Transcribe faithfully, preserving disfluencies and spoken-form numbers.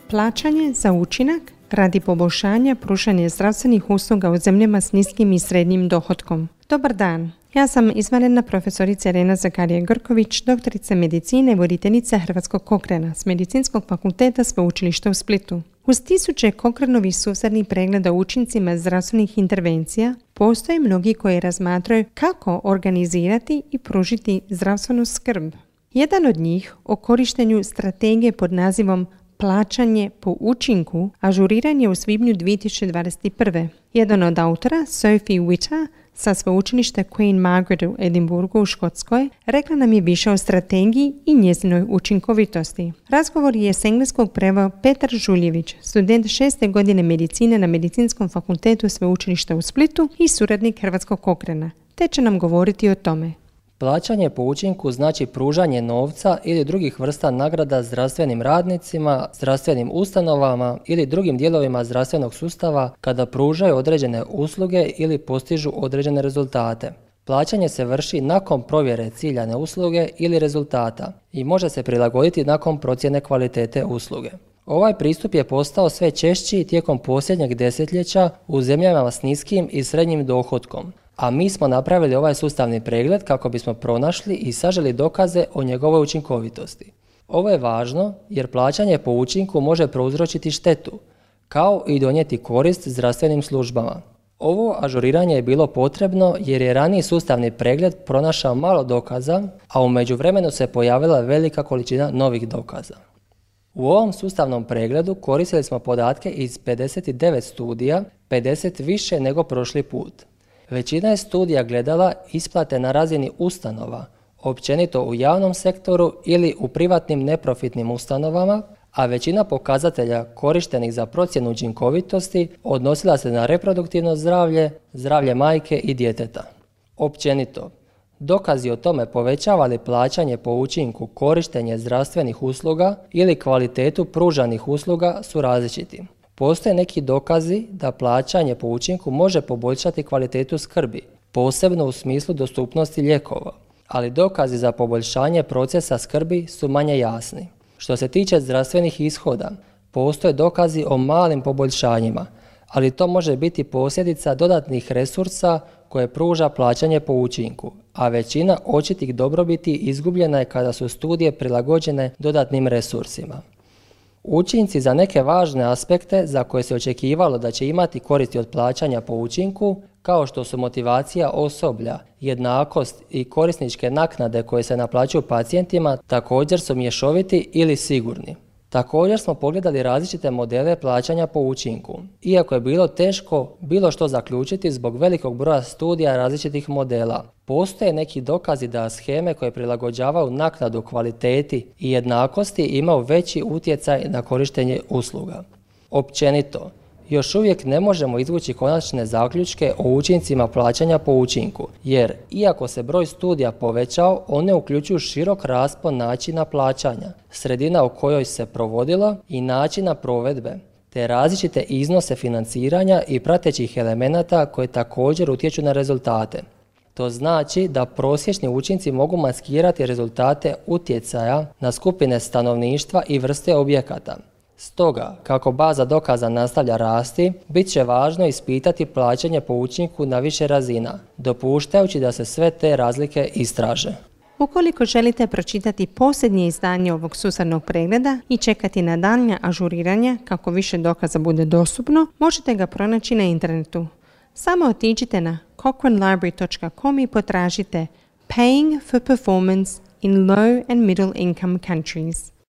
Plaćanje za učinak radi poboljšanja pružanja zdravstvenih usluga u zemljama s niskim i srednjim dohotkom. Dobar dan, ja sam izvanredna profesorica Irena Zakarija-Grković, doktorica medicine i voditeljica Hrvatskog Cochrana s Medicinskog fakulteta Sveučilišta u Splitu. Uz tisuće Cochranovih sustavnih pregleda o učincima zdravstvenih intervencija, postoje mnogi koji razmatraju kako organizirati i pružiti zdravstvenu skrb. Jedan od njih o korištenju strategije pod nazivom Plaćanje po učinku ažuriran je u svibnju dvije tisuće dvadeset prve. Jedan od autora, Sophie Witter, sa sveučilišta Queen Margaret u Edinburgu u Škotskoj, rekla nam je više o strategiji i njezinoj učinkovitosti. Razgovor je s engleskog preveo Petar Žuljević, student šeste godine medicine na Medicinskom fakultetu Sveučilišta u Splitu i suradnik Hrvatskog Cochrana, te će nam govoriti o tome. Plaćanje po učinku znači pružanje novca ili drugih vrsta nagrada zdravstvenim radnicima, zdravstvenim ustanovama ili drugim dijelovima zdravstvenog sustava kada pružaju određene usluge ili postižu određene rezultate. Plaćanje se vrši nakon provjere ciljane usluge ili rezultata i može se prilagoditi nakon procjene kvalitete usluge. Ovaj pristup je postao sve češći tijekom posljednjeg desetljeća u zemljama s niskim i srednjim dohotkom, a mi smo napravili ovaj sustavni pregled kako bismo pronašli i saželi dokaze o njegovoj učinkovitosti. Ovo je važno jer plaćanje po učinku može prouzročiti štetu, kao i donijeti korist zdravstvenim službama. Ovo ažuriranje je bilo potrebno jer je raniji sustavni pregled pronašao malo dokaza, a u međuvremenu se pojavila velika količina novih dokaza. U ovom sustavnom pregledu koristili smo podatke iz pedeset devet studija, pedeset više nego prošli put. Većina je studija gledala isplate na razini ustanova, općenito u javnom sektoru ili u privatnim neprofitnim ustanovama, a većina pokazatelja korištenih za procjenu učinkovitosti odnosila se na reproduktivno zdravlje, zdravlje majke i djeteta. Općenito, dokazi o tome povećava li plaćanje po učinku korištenje zdravstvenih usluga ili kvalitetu pružanih usluga su različiti. Postoje neki dokazi da plaćanje po učinku može poboljšati kvalitetu skrbi, posebno u smislu dostupnosti lijekova, ali dokazi za poboljšanje procesa skrbi su manje jasni. Što se tiče zdravstvenih ishoda, postoje dokazi o malim poboljšanjima, ali to može biti posljedica dodatnih resursa koje pruža plaćanje po učinku, a većina očitih dobrobiti izgubljena je kada su studije prilagođene dodatnim resursima. Učinci za neke važne aspekte za koje se očekivalo da će imati koristi od plaćanja po učinku, kao što su motivacija osoblja, jednakost i korisničke naknade koje se naplaćuju pacijentima, također su mješoviti ili sigurni. Također smo pogledali različite modele plaćanja po učinku, iako je bilo teško bilo što zaključiti zbog velikog broja studija različitih modela. Postoje neki dokazi da sheme koje prilagođavaju naknadu kvaliteti i jednakosti imaju veći utjecaj na korištenje usluga. Općenito, još uvijek ne možemo izvući konačne zaključke o učincima plaćanja po učinku, jer iako se broj studija povećao, one uključuju širok raspon načina plaćanja, sredina u kojoj se provodilo i načina provedbe, te različite iznose financiranja i pratećih elemenata koje također utječu na rezultate. To znači da prosječni učinci mogu maskirati rezultate utjecaja na skupine stanovništva i vrste objekata. Stoga, kako baza dokaza nastavlja rasti, bit će važno ispitati plaćanje po učinku na više razina, dopuštajući da se sve te razlike istraže. Ukoliko želite pročitati posljednje izdanje ovog sustavnog pregleda i čekati na daljnja ažuriranja kako više dokaza bude dostupno, možete ga pronaći na internetu. Samo otiđite na cochrane library dot com i potražite Paying for Performance in Low and Middle Income Countries.